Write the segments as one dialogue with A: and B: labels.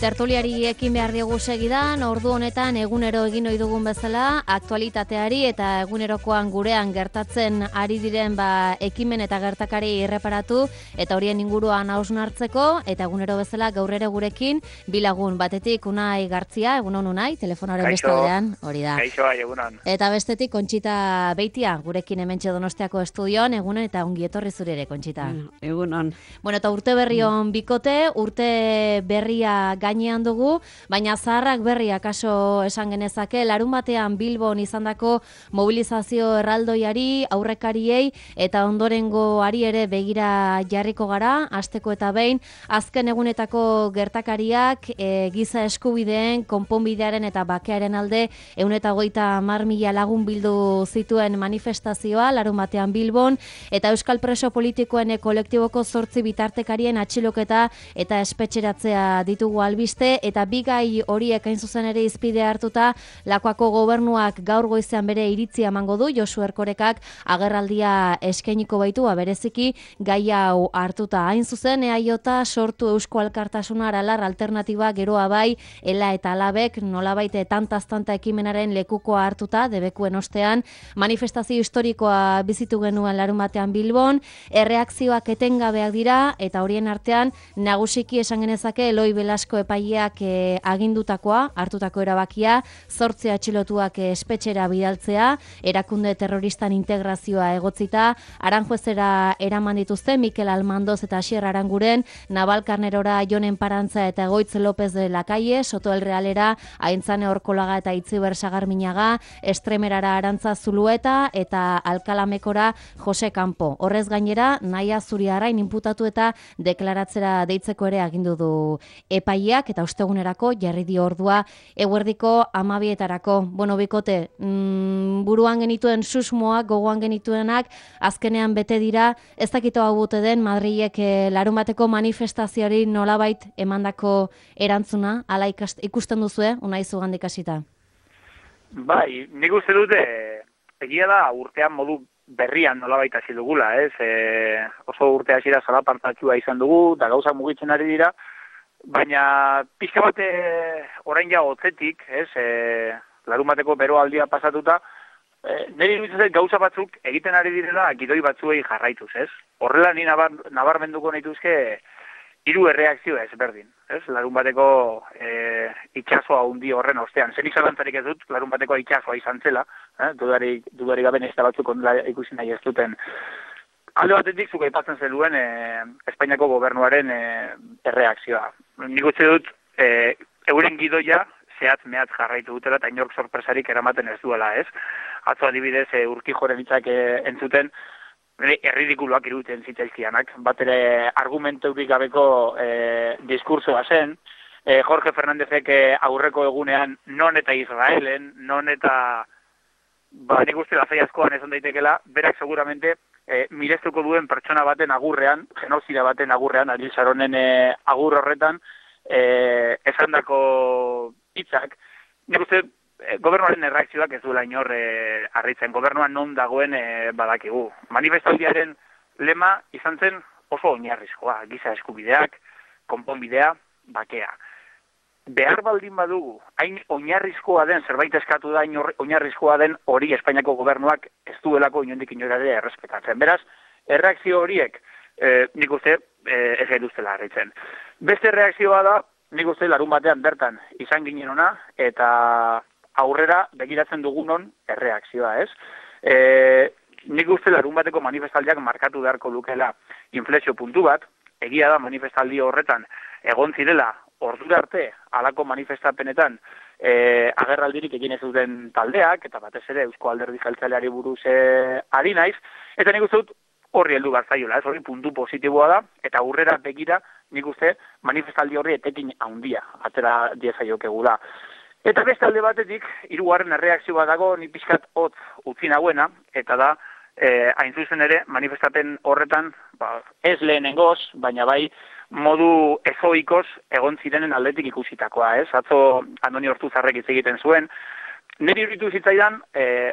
A: Tertuliari ekin behar diogu segidan, ordu honetan egunero egin ohi dugun bezala, aktualitateari eta egunerokoan gurean gertatzen ari diren ekimen eta gertakari erreparatu eta horien inguruan hausnartzeko, eta egunero bezala gaur ere gurekin bilagun batetik Unai Gartzia, egunon Unai, telefonaren bestaldean, hori da.
B: Kaixo, egunon.
A: Eta bestetik Kontxita Beitia, gurekin hementxe Donostiako estudioan, egunon eta ongi etorri zure ere, Kontxita.
C: Egunon.
A: Bueno, eta urte berri on bikote, urte berria gainean dugu, baina zaharrak berria kaso esan genezake, larun batean Bilbon izandako mobilizazio erraldoiari, aurrekariei eta ondorengoari ere begira jarriko gara, hasteko eta behin, azken egunetako gertakariak giza eskubideen, konponbidearen eta bakearen alde 150.000 lagun bildu zituen manifestazioa larun batean Bilbon, eta Euskal Preso Politikoen kolektiboko 8 bitartekarien atxiloketa eta espetxeratzea ditugu albiste, eta bigai horiek hain zuzen ere izpide hartuta Lakuako gobernuak gaur goizean bere iritzia emango du. Josu Erkorekak agerraldia eskainiko baitu, bereziki gai hau hartuta. Hain zuzen EAJ sortu Eusko Alkartasuna aralar alternatiba geroa bai, ela eta alabek nolabait tantaz-tanta ekimenaren lekukoa hartuta, debekuen ostean, manifestazio historikoa bizitu genuen larun batean Bilbon, erreakzioak etengabeak dira, eta horien artean nagusiki esan genezake Eloi Belasko epaileak agindutakoa, hartutako erabakia, 8 atxilotuak espetxera bidaltzea, erakunde terroristan integrazioa egotzita, Aranjuezera eraman dituzte Mikel Almandoz eta Asier Aranguren, Navalkarnerora Jonen Parantza eta Egoitz López de la Calle, Soto el Realera Aintzane Orkolaga eta Itziber Sagarminaga, Estremerara Arantza Zulueta eta Alkalamekora Jose Campo. Horrez gainera, Naia Zuriarrain inputatu eta deklaratzera deitzeko ere agindu du epaileak, eta ostegunerako jarri dio ordua eguerdiko 12etarako. Bueno, bikote, buruan genituen susmoak, gogoan genituenak, azkenean bete dira, ez dakito hau bute den Madrilek larun bateko manifestazioari nolabait emandako erantzuna, ala ikusten duzue, Unai zugandik hasita?
B: Bai, nik uste dute, egia da urtean modu berrian nolabait hasi dugula, ez? Oso urte hasiera zalapartatua izan dugu, da gauzak mugitzen ari dira, baina pixka bate orain ja hotzetik, ez? Larun bateko beroaldia pasatuta, niri iruditzen gauza batzuk egiten ari direla gidoi batzuei jarraituz, ez? Horrela ni nabarmenduko nituzke 3 erreakzio ezberdin, ez? Larun bateko itxasoa hundi horren ostean. Zenik zalantzarik ez dut, larun bateko itxasoa izan zela, dudari gabe nesta batzuk ikusi nahi ez duten. Alde batetik zuk aipatzen zenuen Espainiako gobernuaren erreakzioa. Nik uste dut euren gidoia zehatz-mehatz jarraitu dutela eta inork sorpresarik eramaten ez duela, ez? Atzo adibidez Urkijoren hitzak entzuten, erridikuluak iruditen zitzaizkianak, bat ere argumenturik gabeko diskursoa zen, Jorge Fernándezek aurreko egunean non eta Israelen, non eta nik uste lazai askoan esan daitekela, berak seguramente mirestuko duen pertsona baten agurrean, genozida baten agurrean, Ariel Sharonen agur horretan, esandako hitzak, nik uste gobernuaren erreakzioak ez duela inor harritzen, gobernuan non dagoen badakigu. Manifestaldiaren lema izan zen oso oinarrizkoa, giza eskubideak, konponbidea, bakea. Behar baldin badugu, hain oinarrizkoa den, zerbait eskatu da, oinarrizkoa den hori Espainiako gobernuak ez duelako inondik inorare errespetatzen. Beraz, erreakzio horiek nik uste ez gaituztela harritzen. Beste erreakzioa da, nik uste larun batean bertan izan ginen ona, eta aurrera begiratzen dugunon erreakzioa, ez? Nik uste larun bateko manifestaldiak markatu beharko lukela inflexio puntu bat, egia da manifestaldi horretan egon zirela ordura arte halako manifestapenetan agerraldirik egin ez duten taldeak, eta batez ere Eusko Alderdi Jeltzaleari buruz ari naiz, eta nik uste dut horri heldu behar zaiola, ez? Horri puntu positiboa da, eta aurrera begira nik uste manifestaldi horri etekin handia atera diezaiokegula. Eta beste alde batetik, 3. erreakzioa dago, ni pixkat hotz utzi nagoena, eta da, hain zuzen ere, manifestapen horretan, ez lehenengoz, baina bai, modu ezoikoz egon zirenen aldetik ikusitakoa, ez? Atzo Andoni Ortuzarrek hitz egiten zuen. Niri iruditu zitzaidan,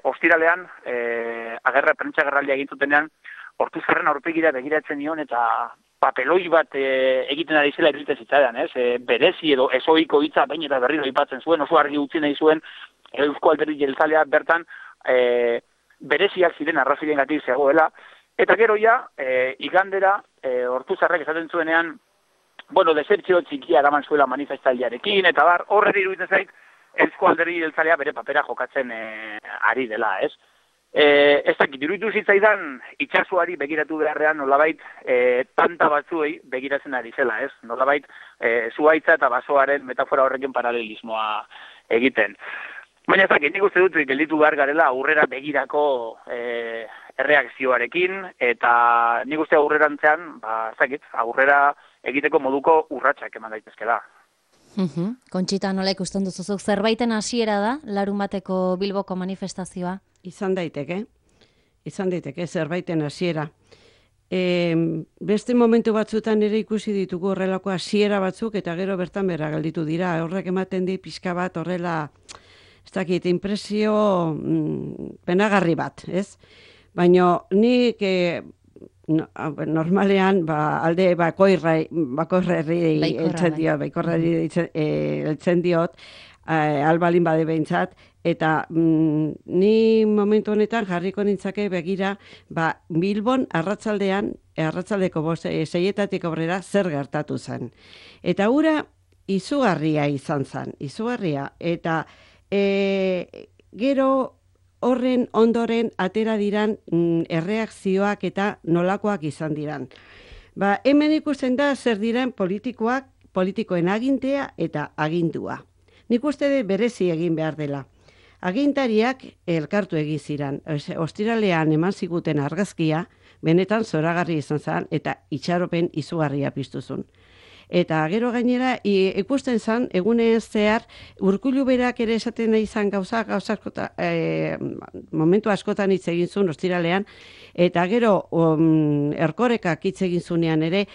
B: ostiralean, prentsa agerraldia egin zutenean, Ortuzarren aurpegira begiratzen nion, eta papeloi bat egiten ari zela iruditzen zitzaidan, ez? Berezi edo ezoiko hitza baina eta berriro aipatzen zuen, oso argi utzi nahi zuen Eusko Alderdi Jeltzalea bertan bereziak ziren arrazoiengatik zegoela, eta gero ja, igandera, Ortuzarrek esaten zuenean, bueno, desertzio txikia eraman zuela manifestaldiarekin, eta horre iruditzen zait, Eusko Alderdi Jeltzalea bere papera jokatzen ari dela, ez? Ez dakit, iruditu zitzaidan itxasuari begiratu beharrean nolabait tanta batzuei begiratzen ari zela, ez? Nolabait zuhaitza eta basoaren metafora horrekin paralelismoa egiten. Baina ez dakit, nik uste dut gelditu behar garela aurrera begirako erreakzioarekin, eta nik uste aurrerantzean, ez dakit, aurrera egiteko moduko urratsak eman daitezkela.
A: Kontxita, nola ikusten duzuzuk, zerbaiten hasiera da, larunbateko Bilboko manifestazioa?
C: Izan daiteke zerbaiten hasiera. Beste momentu batzutan ere ikusi ditugu horrelako hasiera batzuk, eta gero bertan bera gelditu dira. Horrek ematen di pixka bat horrela, ez dakit, impresio penagarri bat, ez? Baina nik normalean alde baikorrari heltzen diot, albalin bade behintzat, eta ni momentu honetan jarriko nintzake begira, Bilbon arratsaldeko 6:00 aurrera zer gertatu zen. Eta hura izugarria izan zen, eta gero horren ondoren atera diran erreakzioak eta nolakoak izan diran. Hemen ikusten da zer diran politikoen agintea eta agindua. Nik uste dut berezi egin behar dela. Agintariak elkartu egin ziren. Ostiralean eman ziguten argazkia, benetan zoragarri izan zen eta itxaropen izugarria piztuzun. Eta gero gainera ikusten zen, egunez zehar, Urkullu berak ere esaten nahi izan gauza momentu askotan hitz egin zuen ostiralean, eta gero Erkorekak hitz egin zunean ere,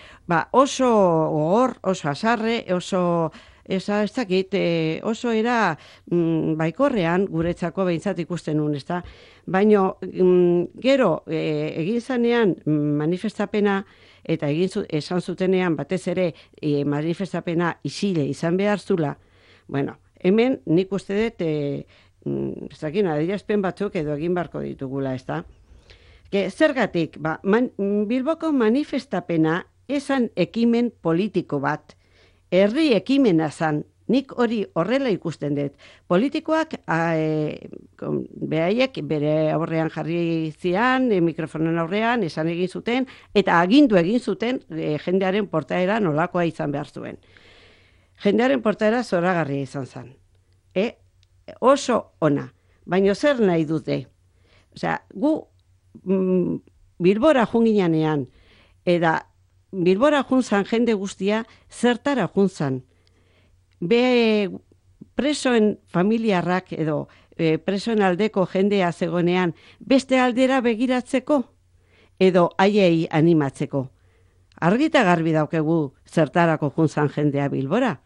C: oso gogor, oso azarre, oso oso era baikorrean guretzako behintzat ikusten nun, ezta? Baina gero egin zanean manifestapena, eta esan zutenean batez ere manifestapena isile izan behar zula, hemen nik uste dut adierazpen batzuk edo egin barko ditugula, ezta? Zergatik, Bilboko manifestapena esan ekimen politiko bat, herri ekimena zan, nik hori horrela ikusten dut. Politikoak beraiek bere aurrean jarri zian, mikrofonen aurrean, esan egin zuten, eta agindu egin zuten jendearen portaera nolakoa izan behar zuen. Jendearen portaera zoragarria izan zen. Oso ona, baina zer nahi dute? Gu Bilbora junginanean, eta Bilbora juntzan jende guztia zertara juntzan. Presoen familiarrak edo presoen aldeko jendea zegonean beste aldera begiratzeko edo haiei animatzeko. Argita garbi daukegu zertarako juntzan jendea Bilbora.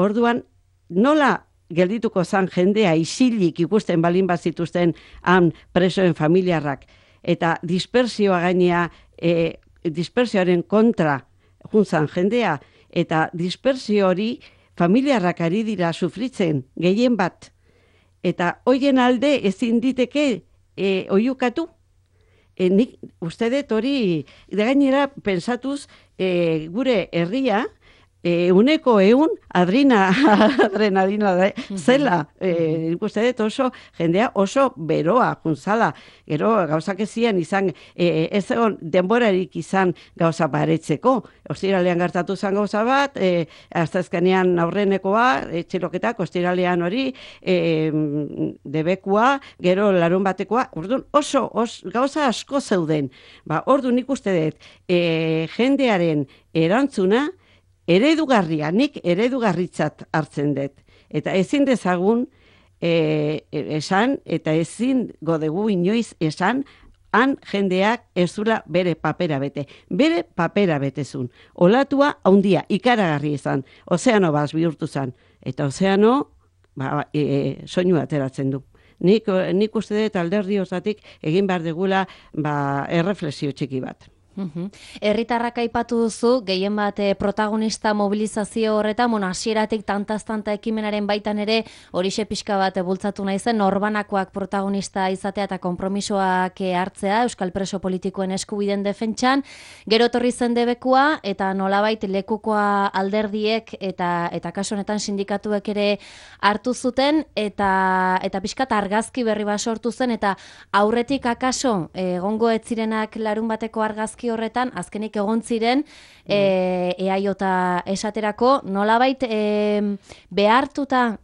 C: Orduan, nola geldituko zan jendea isilik ikusten balin bazituzten han presoen familiarrak eta dispersioa gainea dispersioaren kontra juntzan jendea, eta dispersio hori familiarrak ari dira sufritzen gehien bat, eta hoien alde ezin diteke oiukatu. Nik uste dut hori gainera pensatuz gure herria uneko adrenalina zela. Nik uste dut oso jendea oso beroa juntzala. Gero gauzak ezien izan, ez egon denborarik izan gauza baretzeko. Ostiralean gertatu zen gauza bat, aztazkenean aurrenekoa, txiloketak, ostiralean hori, debekua, gero larun batekoa, orduan oso gauza asko zeuden. Orduan nik uste dut jendearen erantzuna, eredugarria, nik eredugarritzat hartzen dut. Eta ezin dezagun esan, eta ezin godegu inoiz esan, han jendeak ez zula bere papera bete. Bere papera betezun. Olatua haundia, ikaragarri izan. Ozeano baz bihurtu zan. Eta ozeano soinu ateratzen du. Nik uste dut alderdi osatik egin behar degula erreflexio txiki bat.
A: Herritarrak aipatu duzu, gehien bat protagonista mobilizazio horretan, hasieratik tantaz-tanta ekimenaren baitan ere horixe pixka bat bultzatu naizen, norbanakoak protagonista izatea eta konpromisoak hartzea, euskal preso politikoen eskubiden defentsan, gero etorri zen debekua, eta nolabait lekukoa alderdiek eta kasu honetan sindikatuek ere hartu zuten, eta pixka argazki berri bat sortu zen, eta aurretik akaso egongo ez zirenak larun bateko argazki horretan, azkenik egon ziren eaiota esaterako, nolabait behartuta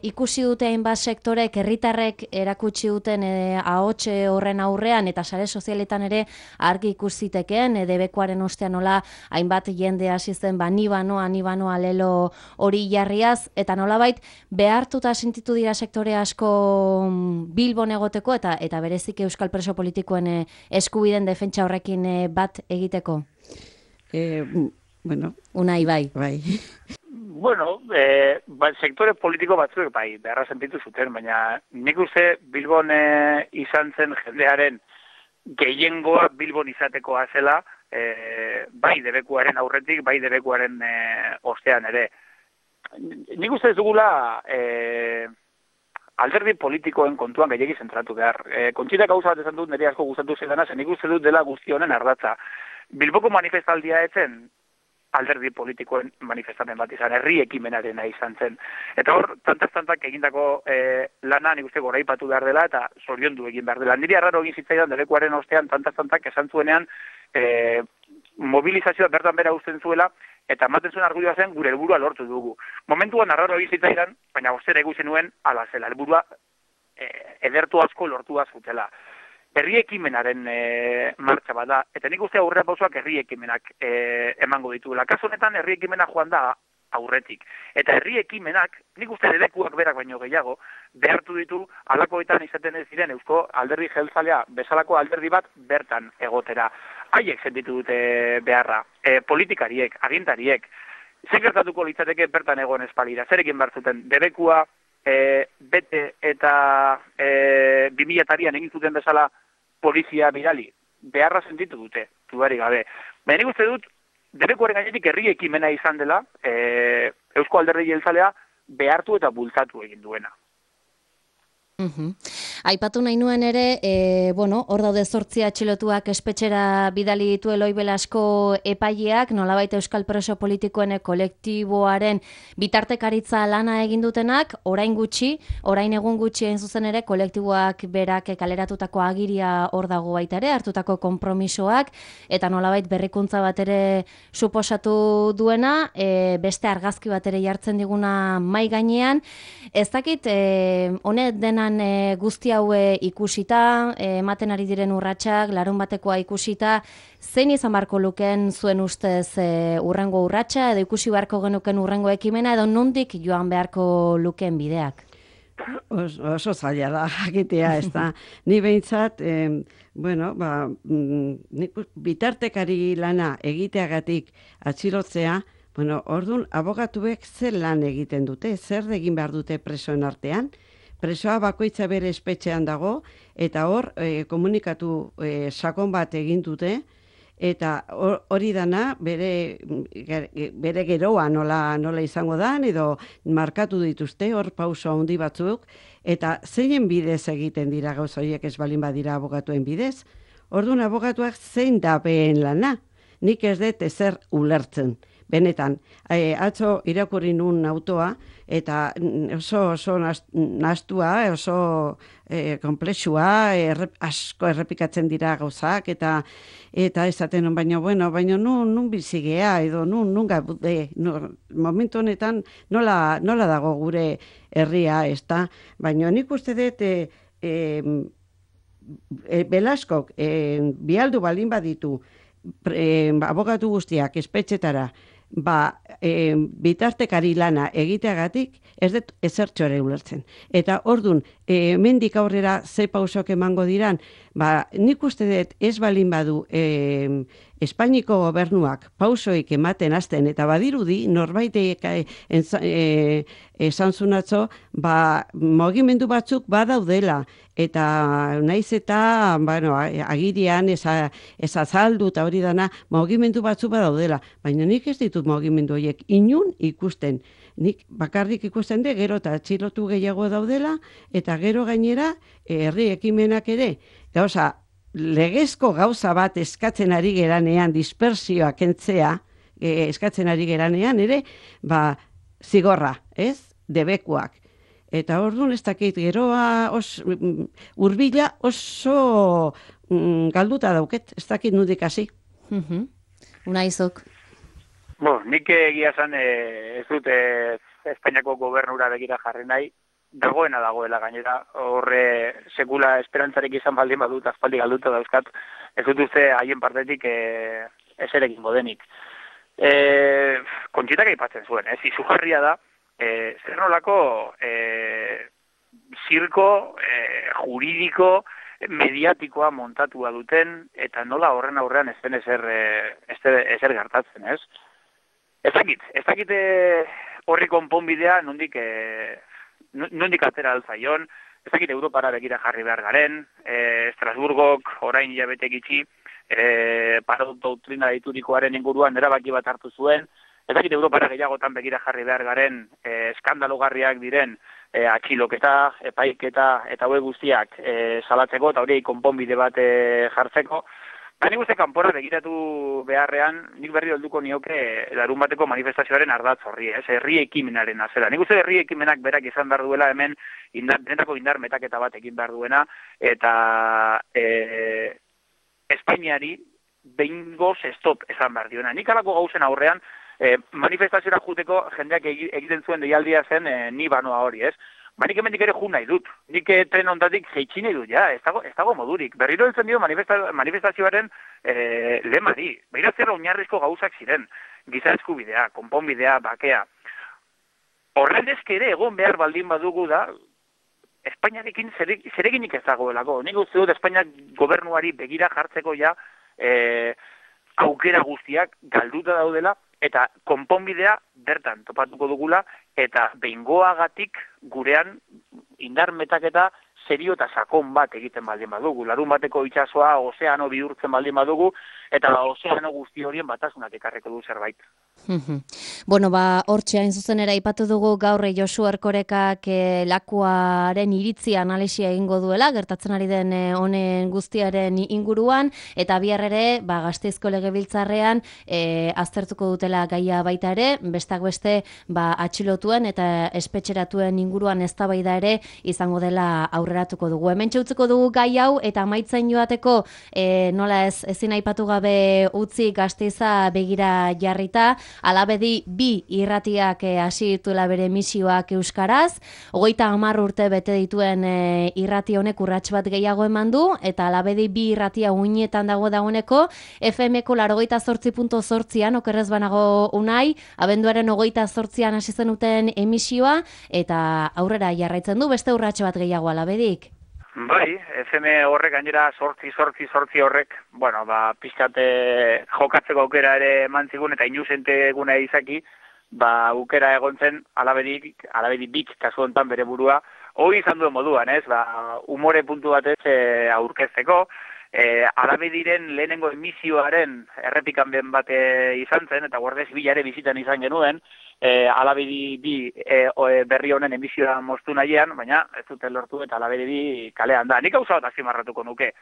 A: ikusi dute hainbat sektorek, herritarrek erakutsi duten ahots horren aurrean, eta sare sozialetan ere argi ikusitekeen, debekuaren ostean nola hainbat jende hasi zen, ni banoa lelo hori jarriaz, eta nolabait behartuta sentitu dira sektore asko Bilbon egoteko, eta berezik euskal preso politikoen eskubiden defentsa horrekin bat egiteko?
C: Bueno.
A: Unai, bai.
B: Bueno, sektore politiko batzuek bai, beharra sentitu zuten, baina nik uste Bilbon izan zen jendearen gehiengoa Bilbon izatekoa zela, bai debekuaren aurretik, bai debekuaren ostean ere. Nik uste ez dugula alderdi politikoen kontuan gehiegi zentratu behar. Kontxita gauza bat esan dut, nire asko gustatu zidana, zen nik uste dut dela guzti honen ardatza. Bilboko manifestaldia etzen alderdi politikoen manifestamen bat izan, herri ekimenarena izan zen. Eta hor, tantaz-tantak egindako lana nik uste goraipatu behar dela eta zoriondu egin behar dela. Niri arraro egin zitzaidan debekuaren ostean tantaz-tantak esan zuenean mobilizazioa bertan bera uzten zuela, eta ematen zuen argudioa zen gure helburua lortu dugu. Momentuan arraro egin zitzaidan, baina ostera ikusi nuen ala zela, helburua edertu asko lortua zutela. Herri ekimenaren martxa bat da, eta nik uste aurrera pausoak herri ekimenak emango dituela. Kasu honetan herri ekimena joan da aurretik. Eta herri ekimenak, nik uste debekuak berak baino gehiago, behartu ditu alakoetan izaten ez diren eusko alderdi jeltzalea bezalako alderdi bat bertan egotera. Haiek sentitu dute beharra, politikariek, agintariek, zer gertatuko litzateke bertan egon espalira, zer egin behar zuten, debekua bete eta 2000-an egin zuten bezala polizia bidali, beharra sentitu dute, dudarik gabe. Baina nik uste dut, debekuaren gainetik herri ekimena izan dela, eusko alderdi jeltzalea behartu eta bultzatu egin duena.
A: Aipatu nahi nuen ere, hor daude 8 atxilotuak espetxera bidali ditu Eloi Belasko epaileak, nolabait euskal preso politikoen kolektiboaren bitartekaritza lana egin dutenak, orain egun gutxi egin zuzen ere, kolektiboak berak kaleratutako agiria hor dago baita ere, hartutako konpromisoak, eta nolabait berrikuntza bat ere suposatu duena, beste argazki bat ere jartzen diguna mai gainean. Ez dakit, honet denan guzti haue ikusita, ematen ari diren urratsak, larun batekoa ikusita, zein izan beharko luken zuen ustez urrengo urratsa, edo ikusi beharko genuken urrengo ekimena, edo nondik joan beharko luken bideak?
C: Oso zaila da, jakitea, ez da. Ni behintzat, bitartekari lana egiteagatik atxilotzea, orduan, abogatuek zer lan egiten dute, zer egin behar dute presoen artean, presoa bakoitza bere espetxean dago, eta hor komunikatu sakon bat egin dute, eta hori dana bere geroa nola izango da, edo markatu dituzte hor pauso handi batzuk, eta zeinen bidez egiten dira gauza horiek ez balin badira abogatuen bidez. Orduan abogatuak zein da behen lana, nik ez dut ezer ulertzen. Benetan, atzo irakurri nun autoa, eta oso nastua, oso komplexua, asko errepikatzen dira gauzak, eta esaten nun, baina nun bizigea, edo nun gaude, momentu honetan nola dago gure herria, ez da, baina nik uste dut, Belaskok bialdu balin baditu, abogatu guztiak espetxetara, bitartekari lana egiteagatik, ez dut ezertxo ere ulertzen. Eta ordun, hemendik aurrera ze pausok emango diran, nik uste dut ez balin badu Espainiko gobernuak pausoik ematen hasten, eta badirudi norbaitek esan zunatzo, mugimendu batzuk badaudela, eta naiz eta agirian ez azaldu eta hori dana, mugimendu batzuk badaudela, baina nik ez ditut mugimendu horiek inun ikusten. Nik bakarrik ikusten de, gero eta atxilotu gehiago daudela, eta gero gainera herri ekimenak ere, gauza, legezko gauza bat eskatzen ari geranean, dispersioa kentzea, eskatzen ari geranean ere, zigorra, ez? Debekuak. Eta orduan ez dakit, geroa hurbila oso galduta dauket, ez dakit nudik hasi.
A: Unaizok.
B: Nik egia esan ez dut Espainiako gobernura begira jarri nahi, dagoela gainera, horre sekula esperantzarik izan baldin badut, aspaldi galduta dauzkat, ez dut uste haien partetik eserekin modenik. Kontxitak aipatzen zuen, izugarria da, zer nolako zirko juridiko, mediatikoa montatua duten, eta nola horren aurrean ez den ezer gertatzen, ez? Ez dakit horri konponbidea nondik atera altzaion, ez dakit Europara begira jarri behar garen, Estrasburgok orain hilabete gitxi, Parot doktrina diturikoaren inguruan erabaki bat hartu zuen, ez dakit Europara gehiagotan begira jarri behar garen, eskandalogarriak diren atxiloketa, epaiketa eta hauek guztiak salatzeko eta hori konponbide bat jartzeko. Nik uste kanpora begiratu beharrean, nik berri helduko nioke larunbateko manifestazioaren ardatz horri, herri ekimenaren azera. Nik uste herri ekimenak berak izan behar duela hemen benetako indar metaketa bat egin behar duena, eta Espainiari behingoz stop esan behar duena. Nik alako gauzen aurrean, manifestaziora juteko jendeak egiten zuen deialdia zen ni banoa hori, ez? Nik hemendik ere jun nahi dut. Nik tren ondatik jeitsi nahi dut, ez dago modurik. Berriro heltzen dio manifestazioaren lemari. Beira zer oinarrizko gauzak ziren. Giza eskubidea, konponbidea, bakea. Horrendezke ere egon behar baldin badugu da, Espainiarekin zereginik ez dagoelako. Nik uste dut Espainiak gobernuari begira jartzeko ja aukera guztiak galduta daudela, eta konponbidea bertan topatuko dugula, eta behingoagatik gurean indar metaketa serio eta sakon bat egiten baldin badugu. Larun bateko itsasoa ozeano bihurtzen baldin badugu, eta ozeano guzti horien batasunak ekarreko du zerbait.
A: Hortxe hain zuzen ere aipatu dugu gaur Josu Erkorekak lakuaren iritzia analisia egingo duela, gertatzen ari den honen guztiaren inguruan, eta bihar ere Gasteizko Legebiltzarrean aztertuko dutela gaia baita ere, besteak beste atxilotuen eta espetxeratuen inguruan eztabaida ere izango dela aurreratuko dugu. Hemen txautzeko dugu gai hau, eta amaitzen joateko nola ezin aipatu gabe utzi Gasteiza begira jarrita, Alabedi 2 irratiak hasi dituela bere emisioak euskaraz, 30 urte bete dituen irrati honek urrats bat gehiago eman du, eta Alabedi 2 irratia uinetan dagoeneko, FM-ko 88.8an, okerrez banago Unai, abenduaren 28an hasi zenuten emisioa, eta aurrera jarraitzen du, beste urrats bat gehiago Alabedik.
B: Bai, FM horrek gainera sortzi horrek, pixkate jokatzeko aukera ere eman zigun eta inusente eguna izaki, aukera egon zen Alabedi bik kasu hontan bere burua, hori izan duen moduan, umore puntu batez aurkezteko, Alabediren lehenengo emisioaren errepikan ben bat izan zen, eta Guardia Zibilare bizitan izan genuen, Alabedi 2 berri honen emisioa moztu nahian, baina ez duten lortu eta Alabedi 2 kalean da. Nik gauza bat azpimarratuko nuke.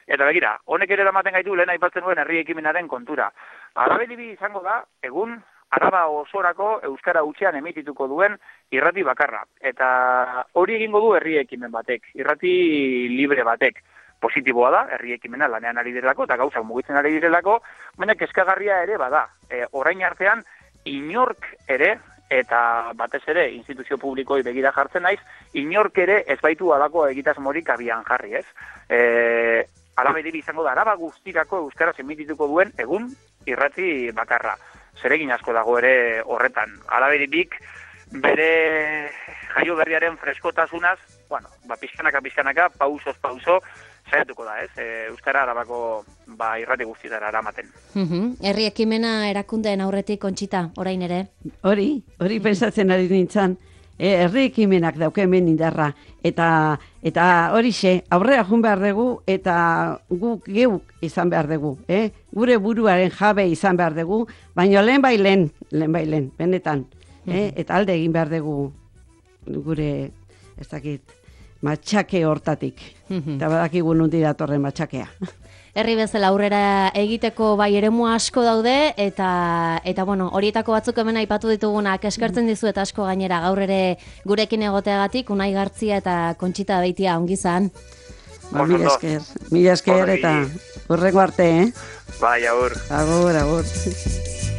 B: Eta begira, honek ere eramaten gaitu lehen aipatzen duen herri ekimenaren kontura. Alabedi 2 izango da, egun Araba osorako euskara hutsean emitituko duen irrati bakarra. Eta hori egingo du herri ekimen batek, irrati libre batek. Positiboa da, herri ekimena lanean ari direlako eta gauzak mugitzen ari direlako, baina kezkagarria ere bada. Orain artean, inork ere, eta batez ere instituzio publikoi begira jartzen naiz, inork ere ez baitu alako egitasmorik abian jarri, ez? Alabedi izango da, Araba guztirako euskaraz emitituko duen egun irrati bakarra. Zeregin asko dago ere horretan. Alabedi bere jaio berriaren freskotasunaz, bueno, pixkanaka, pausoz pauso, saiatuko da, ez? Euskara Arabako irrati guztietara eramaten.
A: Herri ekimena erakundeen aurretik, Kontxita, orain ere?
C: Hori pensatzen ari nintzen. Herri ekimenak dauke hemen indarra. Eta horixe, aurrera jun behar dugu, eta guk geuk izan behar dugu. Gure buruaren jabe izan behar dugu, baina lehen bailen, benetan. Eta alde egin behar dugu gure, ez dakit, matxake hortatik. Eta badakigu nundi datorren matxakea.
A: Herri bezala aurrera egiteko bai eremu asko daude, eta bueno, horietako batzuk hemen aipatu ditugunak eskertzen dizuet asko gainera gaur ere gurekin egoteagatik, Unai Gartzia eta Kontxita Beitia, ongi izan.
C: Mila esker eta hurrengo arte,
B: Bai, agur.
C: Agur.